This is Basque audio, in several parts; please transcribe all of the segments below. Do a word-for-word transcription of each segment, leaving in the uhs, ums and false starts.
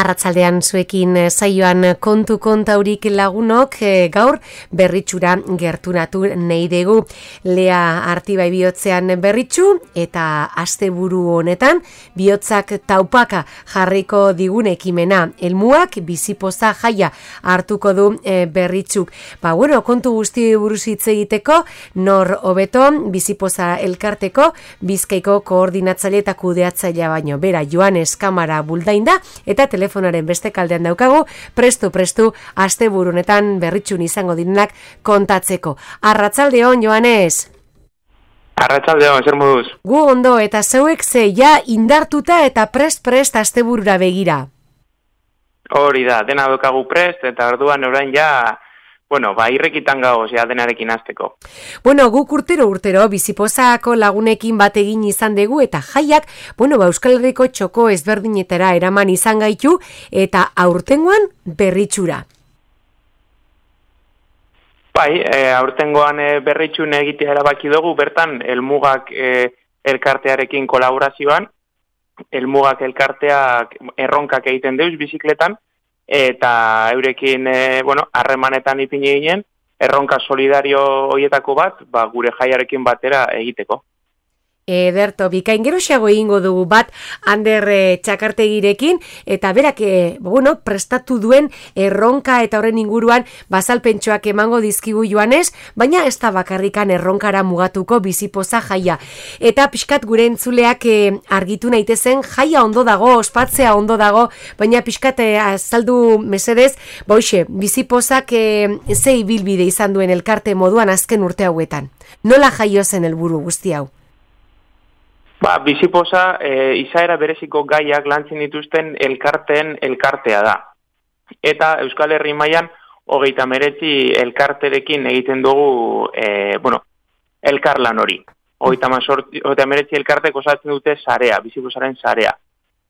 Arratsaldean zuekin saioan kontu kontaurik lagunok gaur berritxura gerturatu nahi dugu. Lea Artibai bihotzean berritxu eta asteburu honetan bihotzak taupaka jarriko digun ekimena. Elmuak bizipoza jaia hartuko du e, berritxuk. Ba, bueno, kontu guzti buruz hitz egiteko, nor hobeto bizipoza elkarteko Bizkaiko koordinatzaile eta kudeatzailea baino. Bera, Joanes Kamara Buldainda eta telefonaren beste kaldean daukagu, prestu-prestu asteburunetan berritxun izango direnak kontatzeko. Arratsaldeon, Joanes! Arratsaldeon, zer moduz? Gu ondo, eta zeuek ze ja indartuta eta prest-prest asteburura begira. Hori da, dena daukagu prest, eta orduan orain ja... Bueno, ba, irrekitan gagoz, ja, denarekin hasteko. Bueno, guk urtero urtero bizipozako lagunekin bat egin izan dugu eta jaiak, bueno, ba, Euskal Herriko txoko ezberdinetara eraman izan gaitu eta aurtengoan berritxura. Bai, e, aurtengoan e, berritxun egitea erabaki dugu, bertan, Elmugak e, elkartearekin kolaborazioan, Elmugak elkarteak erronkak egiten deuz bizikletan, eta eurekin, e, bueno, harremanetan ipini ginen, erronka solidario hoietako bat, ba, gure jaiarekin batera egiteko. Ederto, bikain geroxeago egingo dugu bat Ander e, Txakartegirekin, eta berak, e, bueno, prestatu duen erronka eta horren inguruan bazalpentsoak emango dizkigu Joanes, baina ez da bakarrikan erronkara mugatuko bizipoza jaia. Eta pixkat gure entzuleak e, argitu naitezen, jaia ondo dago, ospatzea ondo dago, baina pixkat e, azaldu mesedez, boixe, bizipozak e, ze ibilbide izan duen elkarte moduan azken urte hauetan. Nola jaio zen helburu guzti hau? Ba, bizipoza e, izaera bereziko gaiak lantzen dituzten elkarteen elkartea da. Eta Euskal Herri mailan hogeita hemeretzi elkarterekin egiten dugu, e, bueno, elkarlan hori. Hogeita hemeretzi elkartek osatzen dute sarea, bizipozaren sarea.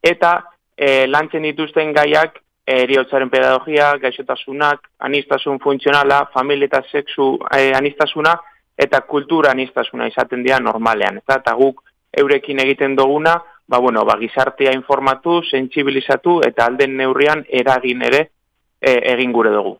Eta e, lantzen dituzten gaiak heriotzaren pedagogia, gaixotasunak, anistasun funtzionala, familia eta sexu e, anistasuna eta kultura anistasuna izaten dira normalean. Eta, eta guk eurekin egiten duguna, ba, bueno, ba, gizartea informatu, sentsibilizatu eta alden neurrian eragin ere e, egin gure dugu.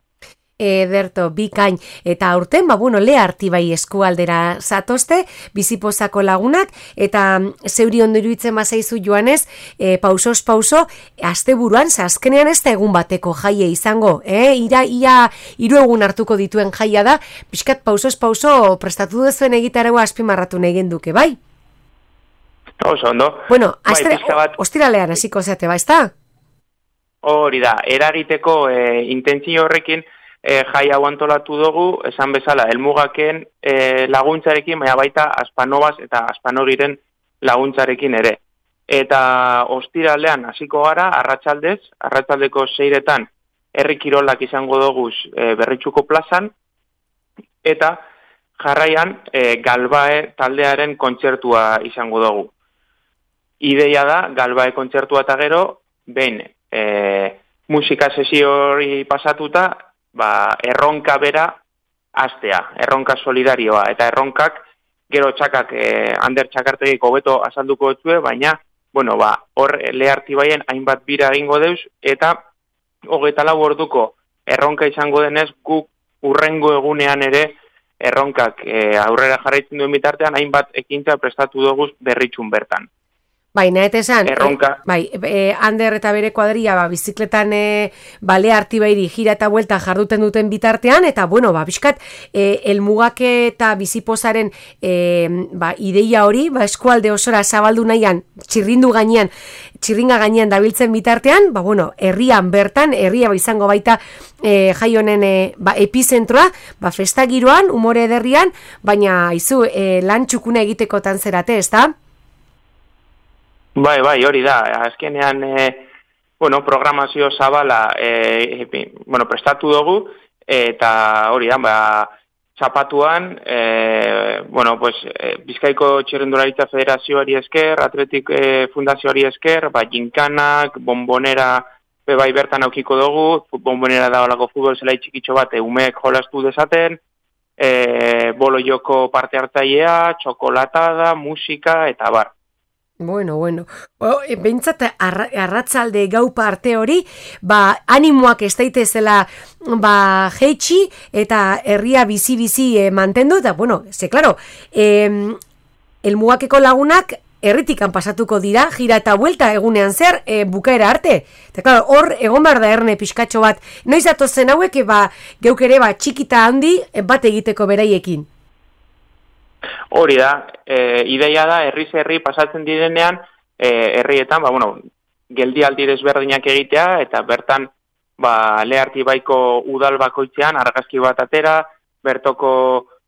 Ederto, bikain, eta aurten, ba, bueno, Lea Artibai eskualdera zatozte, bizipozako lagunak, eta zeuri ondo iruditzen bazaizu Joanes, e, pausos pauso, asteburuan, azkenean ez da egun bateko jaie izango, eh? Ira, ia, hiru egun hartuko dituen jaia da, pixkat pausos pauso prestatu duzuen egitarua azpimarratu nahi genduke, bai? Oso, ondo. Bueno, astre, bai, bat... ostiralean hasiko zeate, ba, ez da? Hori da, eragiteko e, intentzio horrekin e, jai hau antolatu dugu, esan bezala, Elmugaken e, laguntzarekin, baina baita Aspanobaz eta Aspanogiren laguntzarekin ere. Eta ostiralean hasiko gara, arratsaldez, arratsaldeko seiretan herri kirolak izango dugu e, Berritxuko plazan, eta jarraian e, Galbae taldearen kontzertua izango dugu. Ideia da, Galbae kontzertua eta gero, behin, e, musika sesio hori pasatuta, ba, erronka bera hastea, erronka solidarioa, eta erronkak gero txakak, e, Ander Txakartegik hobeto azalduko dutue, baina, bueno, ba, hor Lea Artibaien hainbat bira egingo deuz, eta hogeita lau orduko erronka izango denez, guk urrengo egunean ere erronkak e, aurrera jarraitzen duen bitartean, hainbat ekintza prestatu dugu berritxun bertan. Baina, eta esan, Erronka. E, bai, e, Ander eta bere kuadria, ba, bizikletan e, ba, Lea Artibairi gira eta buelta jarduten duten bitartean, eta, bueno, ba, bizkat, e, Elmugak eta bizipozaren e, ba, ideia hori, ba, eskualde osora zabaldu nahian, txirrindu gainean, txirringa gainean dabiltzen bitartean, ba, bueno, herrian bertan, herria ba, izango baita e, jai honen e, ba, epizentroa, ba, festagiroan, umore ederrian, baina, izu, e, lan txukuna egitekotan zerate, ez da? Bai, bai, hori da. Azkenean, e, bueno, programazio zabala e, e, bueno, prestatu dugu, eta hori da, ba, zapatuan, e, bueno, pues, e, Bizkaiko Txirrindularitza Federazioari esker, Atletik e, Fundazioari esker, ba, ginkanak, bombonera, be bai bertan aukiko dugu, bombonera da olako futbol zelai txikitxo bat, e, umeek jolastu dezaten, e, bolo joko parte hartzailea, txokolatada, musika, eta bar. Bueno, bueno. O, e, Bentsat arra, arratzalde gau parte hori, ba, animoak ez daitezela ba, jeitsi eta herria bizi-bizi e, mantendu, eta, bueno, ze, klaro, e, elmugakeko lagunak herritikan pasatuko dira, gira eta buelta egunean zer, e, bukaera arte. Eta, klaro, hor, egon behar da erne pixkatxo bat, noiz atozen hauek, e, ba, geuk ere, ba, txikita handi, e, bat egiteko beraiekin. Hori da, e, ideia da, herriz herri pasatzen direnean, e, herrietan, ba, bueno, geldialdi desberdinak egitea, eta bertan, ba, Leartibaiko udal bakoitzean, argazki bat atera, bertoko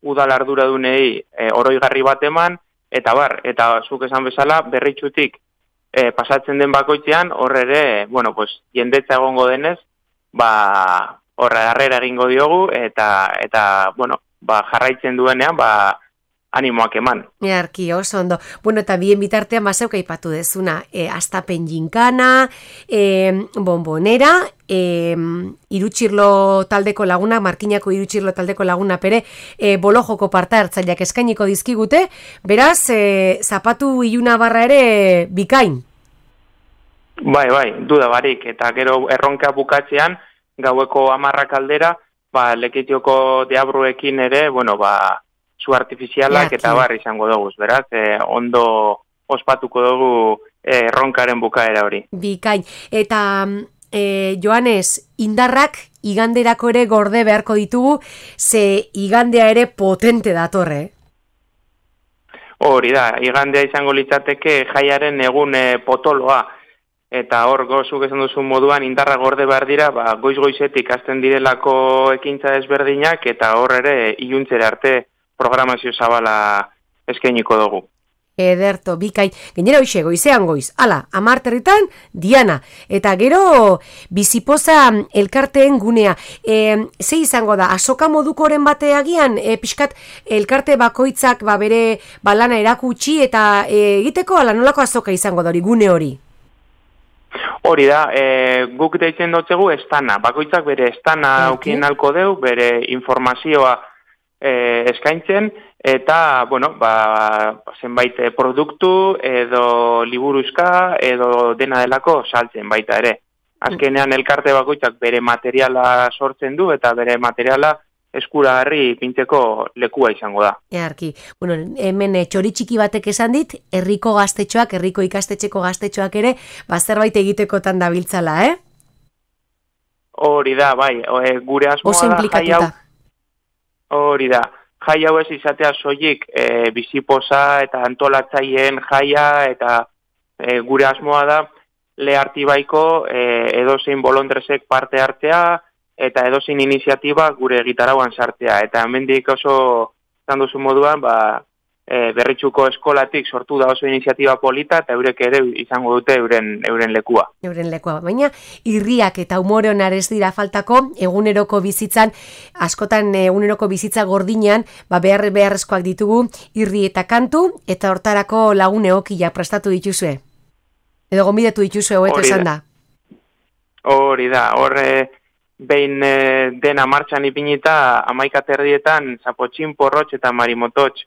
udal arduradunei e, oroigarri bat eman, eta bar, eta zuk esan bezala, Berritxutik e, pasatzen den bakoitzean, horre ere, bueno, pues, jendetza egongo denez, ba, horre harrera egingo diogu, eta, eta bueno, ba, jarraitzen duenean, ba, animoak eman. Earki, oso ondo. Bueno, eta bien bitartean bazeuk aipatu dezuna, e, astapen jinkana, e, bombonera, e, irutxirlo taldeko laguna, markinako irutxirlo taldeko laguna pere, e, bolojoko parte hartzaileak eskainiko dizkigute, beraz, e, zapatu iluna barra ere bikain. Bai, bai, duda barik, eta gero erronka bukatzean, gaueko hamarrak aldera, ba, Lekitioko deabruekin ere, bueno, ba, zu artifizialak eta bar izango dugu, beraz, eh, ondo ospatuko dugu eh, ronkaren bukaera hori. Bikain, eta eh, Joanes, indarrak iganderako ere gorde beharko ditugu, ze igandea ere potente datorre. Hori da, igandea izango litzateke jaiaren egun eh, potoloa, eta hor gozuk esan duzun moduan indarra gorde behar dira, ba, goiz-goizetik hasten direlako ekintza ezberdinak, eta hor ere iluntzera arte programazio zabala eskainiko dugu. Ederto, bikain. Gainera hoxe, goizean goiz. Hala, amarterritan, Diana. Eta gero, bizipoza elkarteen gunea. E, ze izango da, asoka modukoren bateagian, e, pixkat elkarte bakoitzak ba, bere balana erakutsi eta e, egiteko ala nolako azoka izango da hori, gune hori? Hori da, e, guk deitzen dutzegu estana. Bakoitzak bere estana aukien alko deu, bere informazioa E, eskaintzen, eta, bueno, ba, zenbait produktu, edo liburuzka, edo dena delako saltzen baita ere. Azkenean elkarte bakoitzak bere materiala sortzen du, eta bere materiala eskuragarri ipintzeko lekua izango da. Earki, bueno, hemen txoritxiki batek esan dit, herriko gaztetxoak, herriko ikastetxeko gaztetxoak ere, ba, zerbait egitekotan dabiltzala, eh? Hori da, bai, e, gure asmoa da jai hau. Hori da, jai hau ez izatea soilik e, bizipoza eta antolatzaileen jaia eta e, gure asmoa da Leartibaiko e, edozein bolondresek parte hartzea eta edozein iniziatiba gure gitarauan sartzea. Eta hemendik oso izan duzu moduan, ba, e, Berritxuko eskolatik sortu da oso iniziatiba polita eta eurek ere izango dute euren, euren lekua. Euren lekua, baina irriak eta umore onar ez dira faltako eguneroko bizitzan, askotan eguneroko bizitza gordinean, ba behar beharrezkoak ditugu irri eta kantu, eta hortarako lagun egokiak prestatu dituzue. Edo gonbidatu dituzue hobeto esan da. Hori da, horre behin e, dena martxan ipinita amaika terdietan Zapotxin, Porrotx eta Marimototx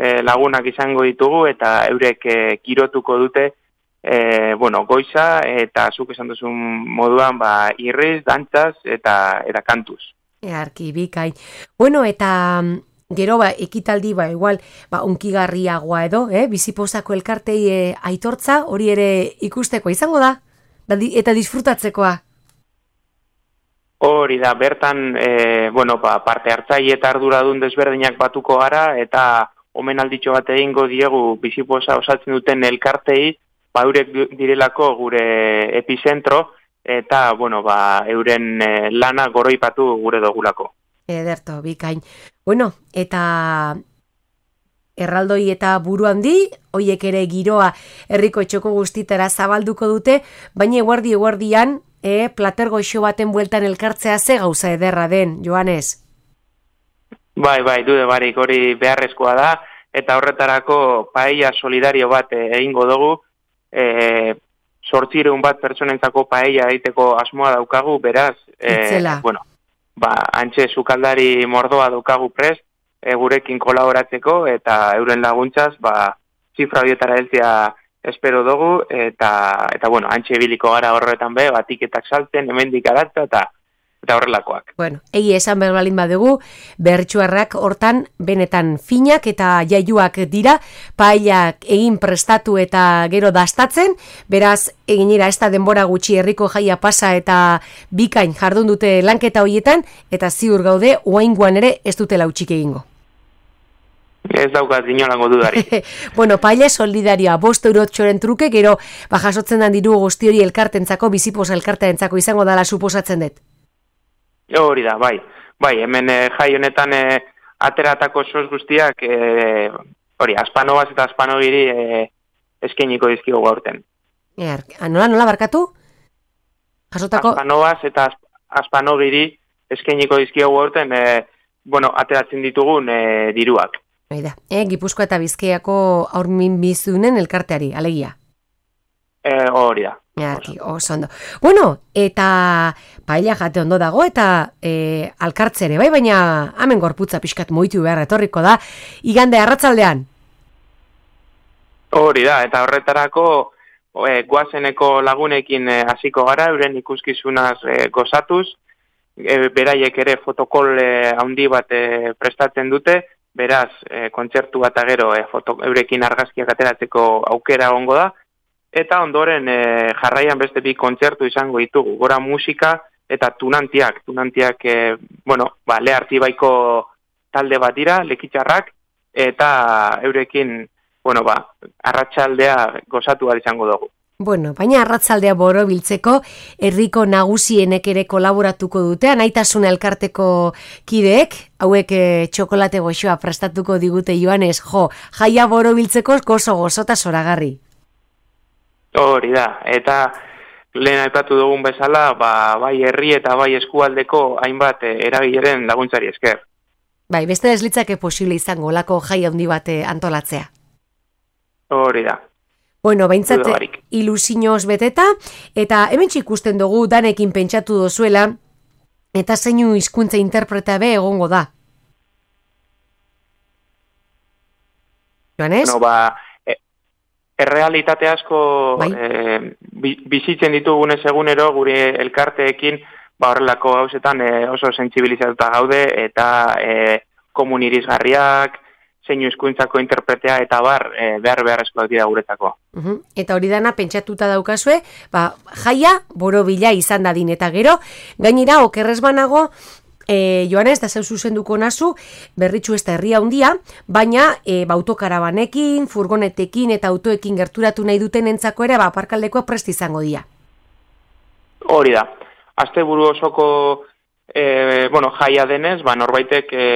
E, lagunak izango ditugu eta eurek e, kirotuko dute e, bueno, goiza eta zuk esan duzun moduan ba, irriz, dantzaz eta, eta kantuz. Earki, bikain. Bueno, eta gero ba, ekitaldi ba, igual ba, unkigarriagoa edo, eh? Bizipozako elkartei e, aitortza hori ere ikusteko izango da, eta disfrutatzekoa. Hori da, bertan e, bueno, ba, parte hartzaile eta arduradun desberdinak batuko gara eta omenalditxo bat egingo diegu bizipoza osatzen duten elkartei, ba, eurek direlako gure epizentro, eta, bueno, ba, euren e, lana goroipatu gure dogulako. Ederto, bikain. Bueno, eta erraldoi eta buru handi, hoiek ere giroa herriko txoko guztitara zabalduko dute, baina eguardi eguardian, e, plater goxo baten bueltan elkartzea ze gauza ederra den, Joanes? Bai, bai, dude barik hori beharrezkoa da, eta horretarako paella solidario bat egingo dugu, e, sortzireun bat pertsonentzako paella egiteko asmoa daukagu, beraz, e, bueno, ba, antxe sukaldari mordoa daukagu prest, e, gurekin kolaboratzeko, eta euren laguntzaz, ba, zifra horietara heltzea espero dugu, eta, eta bueno, antxe biliko gara horretan be, batiketak saltzen, hemendik aratza, eta eta horrelakoak. Bueno, egi esan berbalin badugu, bertsuarrak hortan benetan finak eta jaiuak dira, paellak egin prestatu eta gero dastatzen, beraz, eginera ez da denbora gutxi herriko jaia pasa eta bikain jardun dute lanketa hoietan, eta ziur gaude, oaingoan ere ez dutela utxik egingo. Ez daukaz inolango dudari. Bueno, paella solidarioa, bost eurotxoren truke, gero, bajasotzen dan diru guzti hori elkartentzako, biziposa elkartentzako izango dala suposatzen dut. Hori da, bai. Bai, hemen e, jai honetan e, ateratako sos guztiak, e, hori, aspanobaz eta aspanogiri e, eskeniko dizkigu gaurten. Er, nola, nola barkatu? Jasotako? Aspanobaz eta aspanogiri eskeniko dizkigu gaurten, e, bueno, ateratzen ditugun e, diruak. Baida, e, Gipuzkoa eta Bizkaiako aurmin bizunen elkarteari, alegia. E, hori da. Arki, oso ondo. Bueno, eta paella jate ondo dago, eta e, alkartzere, bai, baina hemen gorputza pixkat moitu behar etorriko da, igande arratsaldean. Hori da, eta horretarako e, guazeneko lagunekin hasiko gara, euren ikuskizunaz e, gozatuz, e, beraiek ere fotokol e, handi bat e, prestatzen dute, beraz, e, kontzertu bat agero e, foto, eurekin argazkiak ateratzeko aukera egongo da, eta ondoren e, jarraian beste bi kontzertu izango ditugu, gora musika eta tunantiak, tunantiak, e, bueno, ba, Lehartibaiko talde bat dira, lekitxarrak, eta eurekin, bueno, ba, arratsaldea gozatu bat izango dugu. Bueno, baina arratsaldea borobiltzeko herriko nagusienek ere kolaboratuko dute, Anaitasuna elkarteko kideek, hauek e, txokolate goxoa prestatuko digute Joanes, jo, jaia borobiltzeko gozo gozota zoragarri. Hori da, eta lehen aipatu dugun bezala, ba, bai herri eta bai eskualdeko hainbat eragileren laguntzari esker. Bai, beste ez litzake posible izango lako jai handi bat antolatzea. Hori da. Bueno, behintzat ilusioz beteta, eta hemen ikusten dugu danekin pentsatu dozuela, eta zeinu hizkuntza interpretabe egongo da. Joanes? Bueno, ba, errealitate asko bai. e, bizitzen ditugunez egunero gure elkarteekin ba horrelako gauzetan e, oso sentsibilizatuta gaude eta e, komunirizgarriak, zeinu hizkuntzako interpretea eta bar e, behar beharrezkoak dira guretako. Uh-huh. Eta hori dana pentsatuta daukazue, ba, jaia borobila izan dadin eta gero, gainera okerrez banago, E, Joanes, da zeu zuzenduko nazu, Berritxu ez da herria handia, baina e, ba, autokarabanekin, furgonetekin eta autoekin gerturatu nahi duten entzako ere, ba, aparkaldekoa prest izango dira. Hori da. Asteburu osoko e, bueno, jaia denez, ba, norbaitek e,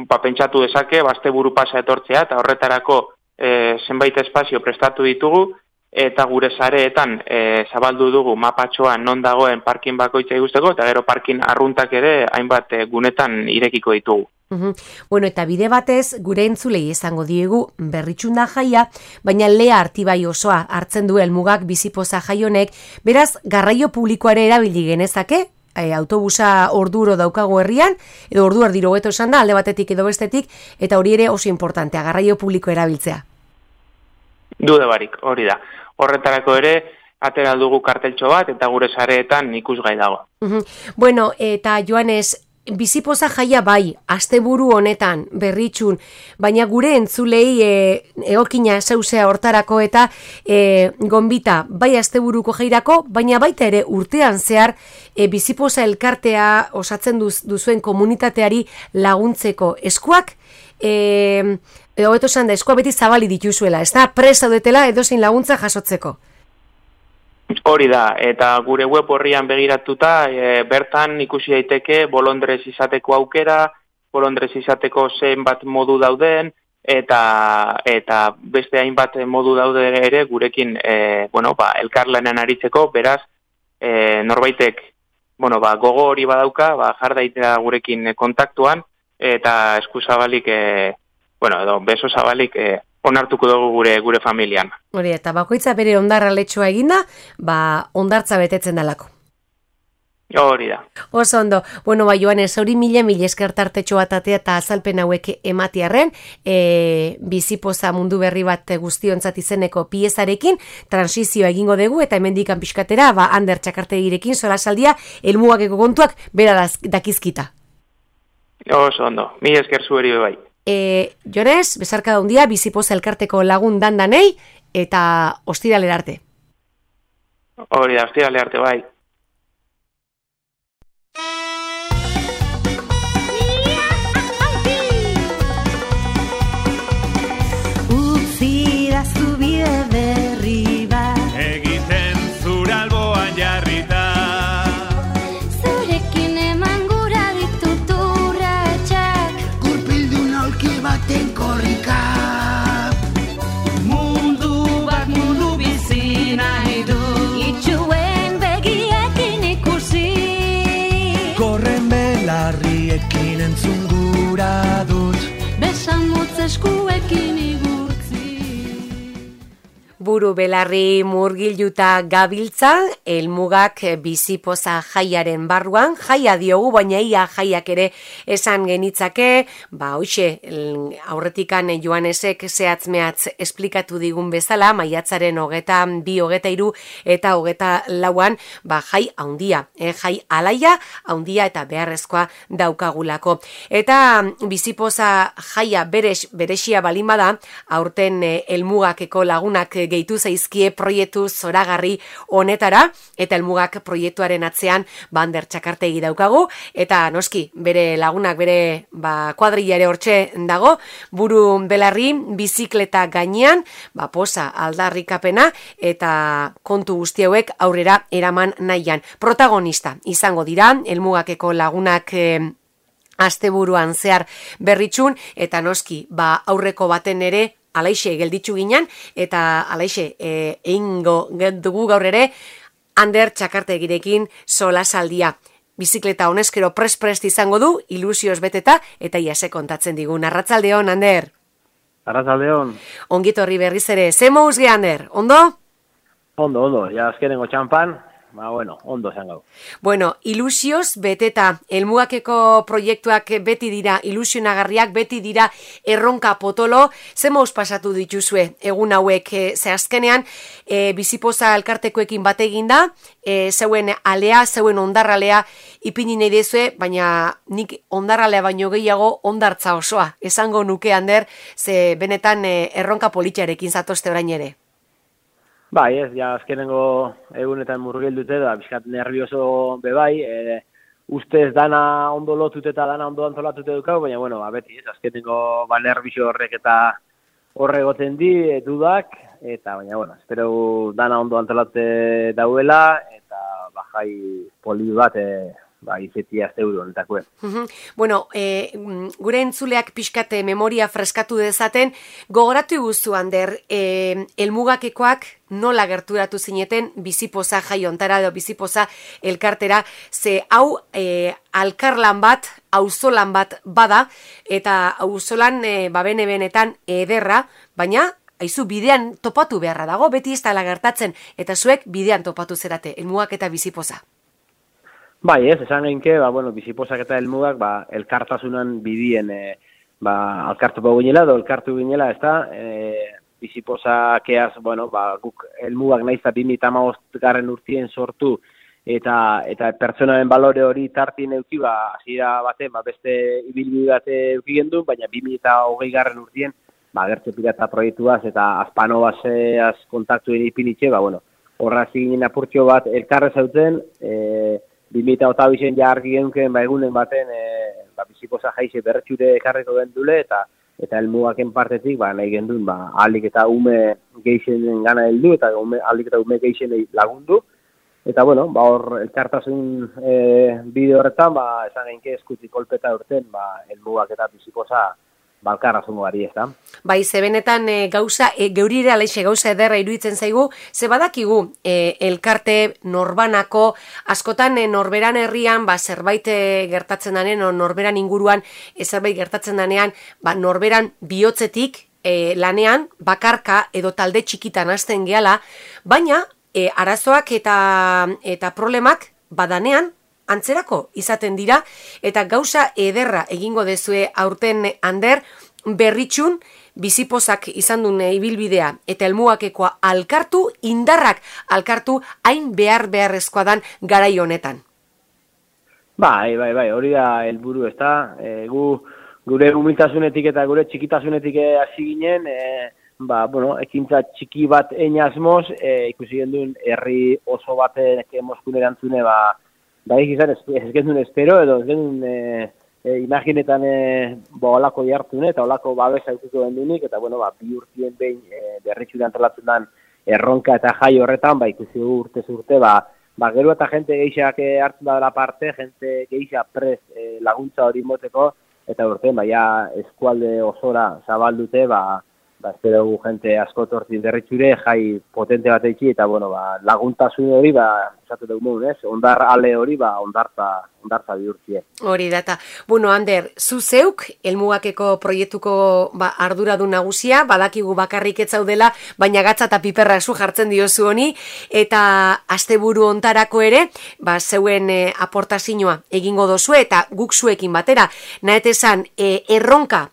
ba, pentsatu dezake, ba, asteburu pasa etortzea, eta horretarako e, zenbait espazio prestatu ditugu, eta gure sareetan e, zabaldu dugu mapatxoan non dagoen parkin bakoitza ikusteko, eta gero parkin arruntak ere hainbat e, gunetan irekiko ditugu. Uhum. Bueno, eta bide batez gure entzulei izango diegu Berritxunda jaia, baina Lehartibai osoa hartzen du helmugak bizipoza jaionek, beraz garraio publikoare erabili genezake, e, autobusa orduro daukago herrian, edo ordu erdiro hobeto esan da, alde batetik edo bestetik, eta hori ere oso importantea, garraio publiko erabiltzea. Dude barik, hori da. Horretarako ere, atera dugu karteltxo bat, eta gure sareetan ikusgai dago. Uhum. Bueno, eta Joanes, bizipoza jaia bai, asteburu honetan, Berritxun, baina gure entzulei e, eokina zeusea hortarako eta e, gonbita, bai asteburuko jairako, baina baita ere urtean zehar e, bizipoza elkartea osatzen duz, duzuen komunitateari laguntzeko eskuak, e, edo beto esan da, eskua beti zabali dituzuela, ez da, prest zaudetela edozein laguntza jasotzeko. Hori da, eta gure web horrian begiratuta, e, bertan ikusi daiteke bolondrez izateko aukera, bolondrez izateko zenbat modu dauden, eta eta beste hainbat modu daude ere gurekin e, bueno, ba, elkarlanean aritzeko, beraz, e, norbaitek bueno, ba, gogo hori badauka, ba, jar daitela gurekin kontaktuan, eta eskuzabalik, e, bueno, edo beso zabalik e, onartuko dugu gure gure familian. Hori, eta bakoitza bere ondarra letxoa eginda, ba, ondartza betetzen dalako. Hori da. Oso ondo. Bueno, ba, Joanes, hori mila mila eskertartetxo bat atea eta azalpen hauek ematiarren, e, bizipoza mundu berri bat guztiontzat izeneko piezarekin, transizioa egingo dugu, eta hemendikan pixkatera, ba, Ander Txakartegirekin, solasaldia, helmugakeko kontuak, bera dakizkita. Oso ondo. Mila esker zueri bai. E, Joanes, bezarka daundia, bizipoza elkarteko lagun dandanei, eta ostiralera arte. Hori da, ostiralera arte bai. Buru belarri murgilduta gabiltza, helmugak bizipoza jaiaren barruan, jaia diogu, baina ia jaiak ere esan genitzake, ba hoxe, aurretikan Joanesek zehatz-mehatz esplikatu digun bezala, maiatzaren hogeta bi, hogeta hiru eta hogeta lauan, ba jai haundia, eh, jai alaia, haundia eta beharrezkoa daukagulako. Eta bizipoza jaia berex, berexia balimada, aurten helmugakeko lagunak gehitu zaizkie proiektu zoragarri honetara, eta helmugak proiektuaren atzean Ander Txakartegi daukagu, eta noski, bere lagunak, bere ba, kuadrilla ere hortxe dago, buru belarri, bizikleta gainean, ba, posa aldarrikapena, eta kontu guzti hauek aurrera eraman nahian. Protagonista izango dira, helmugakeko lagunak eh, asteburuan zehar berritxun, eta noski, ba, aurreko baten ere, alaixe gelditzu ginen, eta alaixe e, eingo dugu gaur ere Ander Txakartegirekin solasaldia. Bizikleta honezkero pres-prest izango du, ilusioz beteta, eta iase kontatzen digun. Arratsaldeon, Ander. Arratsaldeon. Ongitorri berriz ere, ze mouz ge, Ander, ondo? Ondo, ondo, ja azkenengo txampan, ba, bueno, ondo zen gau. Bueno, ilusioz beteta, helmugakeko proiektuak beti dira ilusionagarriak, beti dira erronka potolo, ze mouz pasatu dituzue egun hauek, e, ze azkenean, e, bizipoza elkartekoekin bat eginda, e, zeuen alea, zeuen ondarralea ipini nahi dezue, baina nik ondarralea baino gehiago ondartza osoa, esango nuke, Ander, ze benetan e, erronka politxarekin zatozte orain ere. Bai, ez, ja, azkenengo egunetan murgildute da, bizkat nervioso bebai, e, ustez dana ondo lotute eta dana ondo antolatute dukau, baina, bueno, ba, beti, ez, azkenengo ba, nervioso horrek eta horregoten di, e, dudak, eta, baina, bueno, espero dana ondo antolatute dauela, eta, ba, jai poli bat, e, ba, izetia azteuru honetakue. Bueno, e, gure entzuleak pixkate memoria freskatu dezaten, gogoratu guztu, Ander, e, helmugakekoak nola gerturatu zineten bizipoza jaiontara edo bizipoza elkartera, ze hau e, alkarlan bat, auzolan bat bada, eta auzolan e, babene benetan ederra, baina aizu bidean topatu beharra dago, beti ez dela gertatzen, eta zuek bidean topatu zerate, helmugak eta bizipoza. Bai, ez, esan geinke, ba, bueno, bizipozak eta helmugak, ba, elkartasunan bidien, e, ba, alkartu pau ginela, edo elkartu ginela, ez da, e, bizipozakeaz, bueno, ba, guk helmugak nahiz eta bi mila hamabost garren urtien sortu, eta eta pertsonaren balore hori tartin euki, ba, hasiera baten, ba, beste ibilbide bate euki gendu, baina bi mila hogei garren urtien, ba, gertze pirata proiektuaz, eta azpanobaseaz kontaktuen ipinitxe, ba, bueno, horra ziginen apurtxo bat elkarrez hauten, e, bi mila hogeita ja argi genuen ba, egunen baten e, ba, bizipoza jaize berretxure ekarriko gendule eta eta helmugaken partetik ba, nahi gendun ba, alik eta ume geixenen gana heldu eta ume, alik eta ume geixenei lagundu. Eta bueno, ba, hor elkartasun e, bide horretan ba, esan geinke eskutik kolpeta urten ba, helmugak eta bizipoza balkarra zungo gari, ez da? Bai, ze benetan e, gauza, e, geurire aleixe gauza ederra iruditzen zaigu, ze badakigu e, elkarte norbanako, askotan e, norberan herrian, ba, zerbait e, gertatzen danean, o norberan inguruan e, zerbait gertatzen danean, ba, norberan bihotzetik e, lanean, bakarka edo talde txikitan hasten gehala, baina e, arazoak eta, eta problemak badanean, antzerako izaten dira, eta gauza ederra egingo dezue aurten Ander, Berritxun, bizipozak izan dune ibilbidea eta helmugakekoa alkartu, indarrak alkartu, hain behar beharrezkoa dan garai honetan. Bai, bai, bai, hori da helburu, ezta? E, gu gure humiltasunetik eta gure txikitasunetik hasi ginen, e, ba, bueno, ekintza txiki bat einasmoz, e, ikusi gendun herri oso baten emoskun erantzune, ba, ba, izan ez, ez gendun espero, edo ez gendun e, e, imaginetan e, ba, olako jartune, eta olako babesa ikutu gendunik, eta, bueno, ba, bi urtien behin e, Berritxu antolatzen den erronka eta jai horretan, ba, ikusi urte urte, ba, ba, gero eta jente geixak hartzen da dela parte, jente geixak prez e, laguntza hori moteko, eta urte, ba, ja, eskualde osora zabaldute, ba, ba, espero gu jente asko tortin Berritxure, jai potente bat eitzi, eta, bueno, ba, laguntasun hori, ba, esatu dugu ez? Ondar ale hori, ba, ondartza, ondartza bihurtzie. Hori data. Bueno, Ander, zu zeuk, helmugakeko proiektuko ba, arduradun nagusia, badakigu bakarrik ez zaudela, baina gatza eta piperra zu jartzen diozu honi, eta asteburu ontarako ere, ba, zeuen e, aportazioa egingo dozu, eta guk zuekin batera, nahetezan, e, erronka,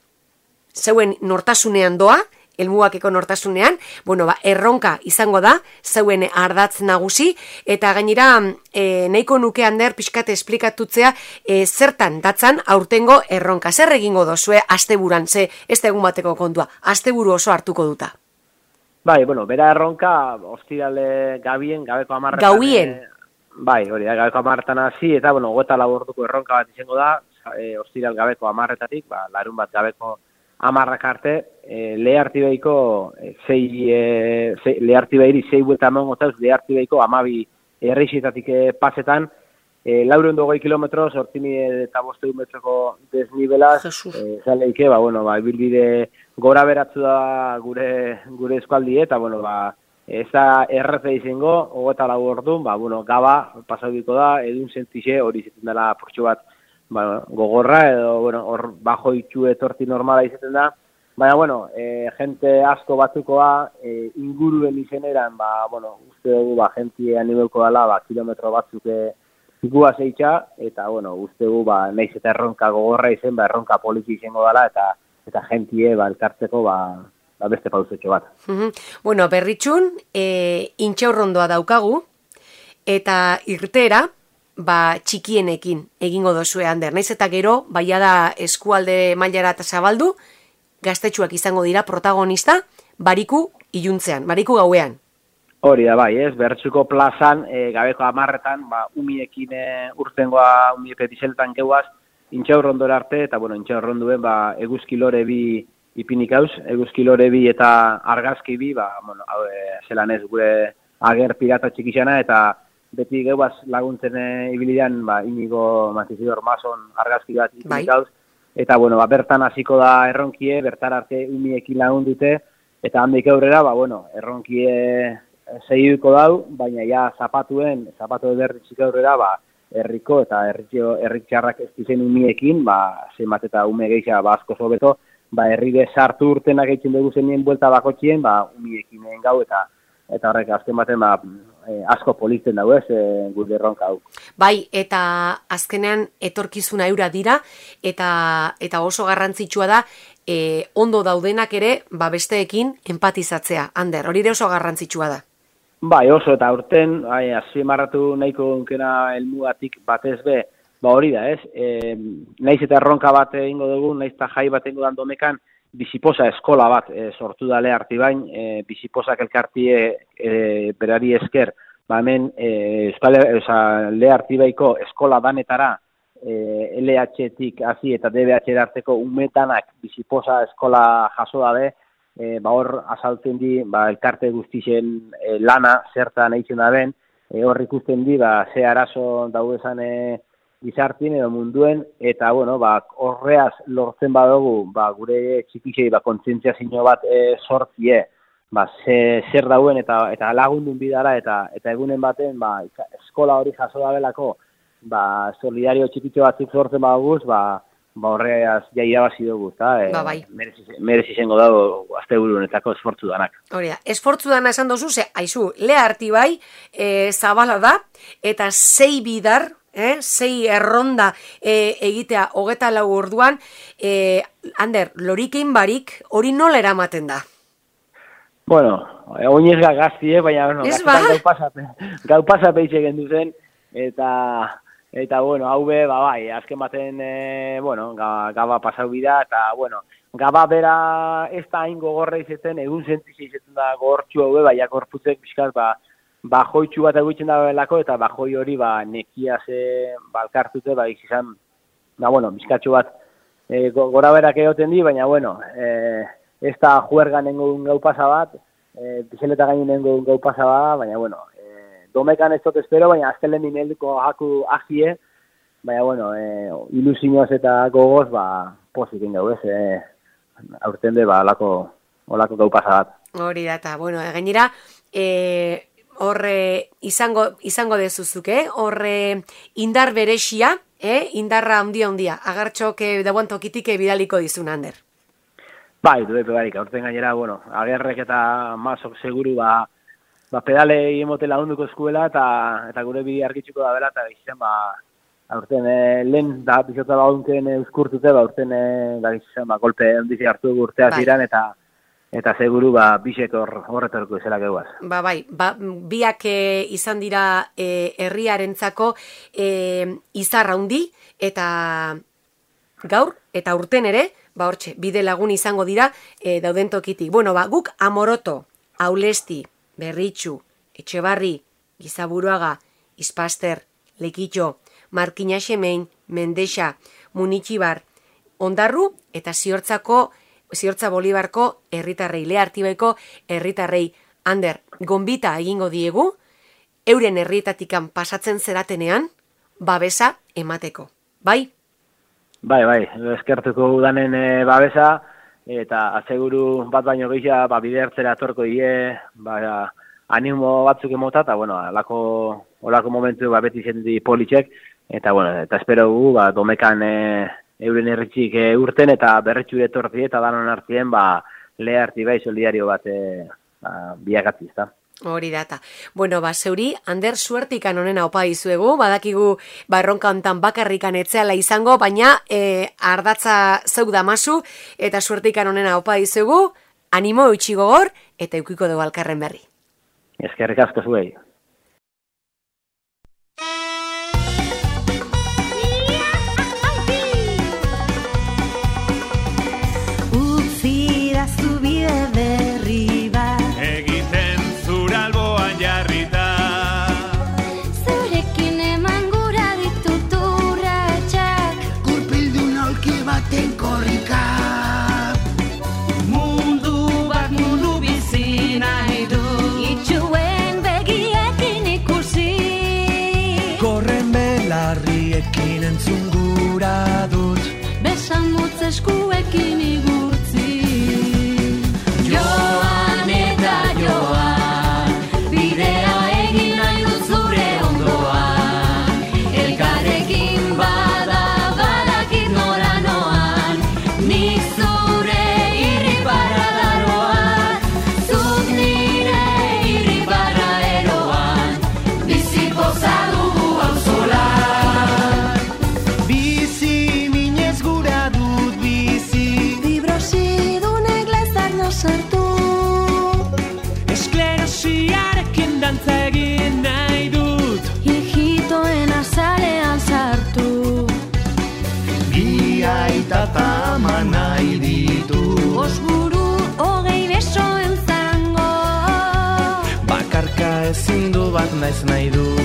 zeuen nortasunean doa, helmugakeko nortasunean, bueno, ba, erronka izango da, zeuen ardatz nagusi, eta gainera e, nahiko nuke Ander pixkate esplikatutzea e, zertan datzan aurtengo erronka. Zer egingo dozue asteburan, ze ez da egun bateko kontua, asteburu oso hartuko duta. Bai, bueno, bera erronka, ostirale gabien, gabeko amarretan. Gauien? E, bai, hori, gabeko amarretan hasi, eta, bueno, gota laborduko erronka bat izango da, e, ostiral gabeko amarretatik, ba, larun bat gabeko amarrak arte, e, lehartibeiko e, zei, e, zei, lehartibeiri zei buelta eman gotauz, lehartibeiko amabi erreixitatik e, pasetan, e, laureun dogoi kilometro, sortini eta boste metroko desnibelaz, e, zaleike, ba, bueno, ba, ibilbide gora beratzu da gure, gure eskualdi, eta, bueno, ba, ez da erreze izango, hogeta lau orduan, ba, bueno, gaba, pasaudiko da, edun sentixe, hori izaten dela portxo bat, ba, gogorra, edo, bueno, hor bajo itxu etorti normala izaten da, baina, bueno, e, jente asko batzukoa, e, inguruen izeneran, ba, bueno, uste dugu, ba, jentie animeuko dela, ba, kilometro batzuk ikua zeitxa, eta, bueno, uste dugu, ba, naiz eta erronka gogorra izen, ba, erronka politi izango dela, eta, eta jentie, ba, elkartzeko, ba, ba, beste pauzetxo bat. Mm-hmm. Bueno, Berritxun, e, intxaurrondoa daukagu, eta irtera, ba, txikienekin egingo dozue Ander. Naiz eta gero, baia da eskualde mailara eta zabaldu, gaztetxuak izango dira protagonista, bariku iluntzean, bariku gauean. Hori da, bai, ez, Bertsuko plazan, e, gabeko amarretan, ba, umiekin e, urtengoa, umie petizeletan geuaz, intxaurrondora arte, eta, bueno, intxaurronduen, ba, eguzkilore bi ipinik hauz, eguzkilore bi eta argazki bi, ba, bueno, hau, e, zelan ez gure ager pirata txikixana, eta beti geubaz laguntzen e, ibilidean, ba, Inigo Matizidor Mason argazki bat ipinik hauz, eta, bueno, ba, bertan hasiko da erronkie, bertar arte umiekin lagun dute, eta handik aurrera, ba, bueno, erronkie segiduko dau, baina ja zapatuen, zapatu berritxik aurrera, ba, herriko eta herritxarrak ez dizen umiekin, ba, zenbat eta ume geixa, ba, asko sobeto, ba, herride sartu urtenak egiten dugu zenien buelta bakotxien, ba, umiekin gau, eta eta horrek azken baten, ba, e, asko polizten dago ez, e, gure erronka hau. Bai, eta azkenean etorkizuna eura dira, eta eta oso garrantzitsua da, e, ondo daudenak ere, ba, besteekin empatizatzea. Ander, hori ere oso garrantzitsua da. Bai, oso, eta urten, bai, azpimarratu nahiko onkena helmugatik batez be, ba hori da ez, e, naiz eta erronka bat egingo dugu, naiz eta jai bat egingo dan domekan, biziposa eskola bat e, sortu da leharti bain, e, biziposak elkartie e, berari esker, ba hemen e, Euskal leharti baiko eskola danetara e, L H-tik hasi eta D B H arteko umetanak biziposa eskola jaso dabe, e, ba hor azaltzen di, ba elkarte guztien e, lana zertan eitzen daben, e, hor ikusten di, ba ze arazo daudezan e, gizartien edo munduen, eta, bueno, ba, horreaz lortzen badugu, ba, gure txikixei, ba, kontzientziazio bat e, sortzie, ba, ze, zer dauen eta eta lagundun bidara, eta eta egunen baten, ba, eskola hori jaso dabelako, ba, solidario txikitxo batzuk sortzen baduguz, ba, ba, horreaz ja irabazi dugu, eta e, ba, bai. merezi izango dago asteburunetako esfortzu danak. Hori da, esfortzu dana esan dozu, ze, haizu, leharti bai, e, zabala da, eta zei bidar, eh? Sei erronda e, egitea hogeta lau orduan, e, Ander, lorikein barik hori nola eramaten da? Bueno, oinez gaztie, baina bueno, gaztetan gau pasape, gau pasape itxegen duzen, eta, eta bueno, hau be, ba, bai, azken baten, e, bueno, gaba pasau bida, eta, bueno, gaba bera ez da hain gogorra izaten, egun sentizi izaten da gogortxu hau be, baina gorputzek bizkaz, ba, bajoitxu bat eguitzen da belako, eta bajoi hori, ba, nekia ze balkartute, ba, izan, ba, bueno, bizkatxu bat, e, gora berak egoten di, baina, bueno, e, ez da juerga nengoen gau pasa bat, e, bizeleta gainin nengoen gau pasa bat, baina, bueno, e, domekan ez dut espero, baina azken lehen nimeldiko haku azie, baina, bueno, e, ilusioz eta gogoz, ba, pozik ingau, ez, e, aurten de, ba, olako, olako gau pasa bat. Hori da, eta, bueno, gainera, e, horre izango, izango dezuzuk, eh? Horre indar berexia, eh? Indarra handia handia, agartxok eh, dauan tokitik bidaliko dizun, Ander. Bai, du epe barik, aurten gainera, bueno, agerrek eta mazok seguru, ba, ba pedale emote lagunduko eskuela, eta, eta gure bide argitxuko da bela, eta izan, ba, aurten eh, lehen da bizota baunken euskurtute, ba, aurten eh, da izan, ba, golpe handizi hartu urtea bai. Ziran, eta eta seguru, ba, bisek hor, horretorko izela gehuaz. Ba, bai, ba, biak e, izan dira e, herriarentzako e, izar handi, eta gaur, eta urten ere, ba, hortxe, bide lagun izango dira e, dauden tokitik. Bueno, ba, guk Amoroto, Aulesti, Berritxu, Etxebarri, Gizaburuaga, Ispaster, Lekitxo, Markina Xemein, Mendexa, Munitxibar, Ondarru, eta Ziortzako Ziortza Bolibarko herritarrei, Lea Artibaiko herritarrei, Ander, gonbita egingo diegu, euren herrietatikan pasatzen zeratenean, babesa emateko. Bai? Bai, bai, eskertuko udanen e, babesa, eta aseguru bat baino gehiago, ba, bide hartzera atorko die, ba, animo batzuk emota, eta, bueno, alako, olako momentu, ba, beti zendi politxek, eta, bueno, eta espero gu, ba, domekan, e, euren herritxik e, urten eta berretxure etortzi eta danon hartien, ba, Lea Artibai solidario bat e, ba, biagatzi, ezta. Hori data. Bueno, ba, zeuri, Ander, suertikan honena opa izuegu, badakigu, ba, erronka hontan bakarrikan etzeala izango, baina e, ardatza zeu damazu, eta suertikan honena opa izuegu, animo eutxi gogor, eta eukiko dugu alkarren berri. Eskerrik asko zuei. Eskuekin igurtzi Joan eta joan Bidea egin nahi dut zure ondoan Elkarrekin bada badakit nora noan Nik zure irribarra daroan Zuk nire irribarra eroan Bizi poza dugu auzolan Bizi minez gura sartu Esklerosiarekin dantza egin nahi dut Hijitoen azalean sartu Bi aita eta ama nahi ditu Osburu hogei besoen zango Bakarka ezin du bat naiz nahi du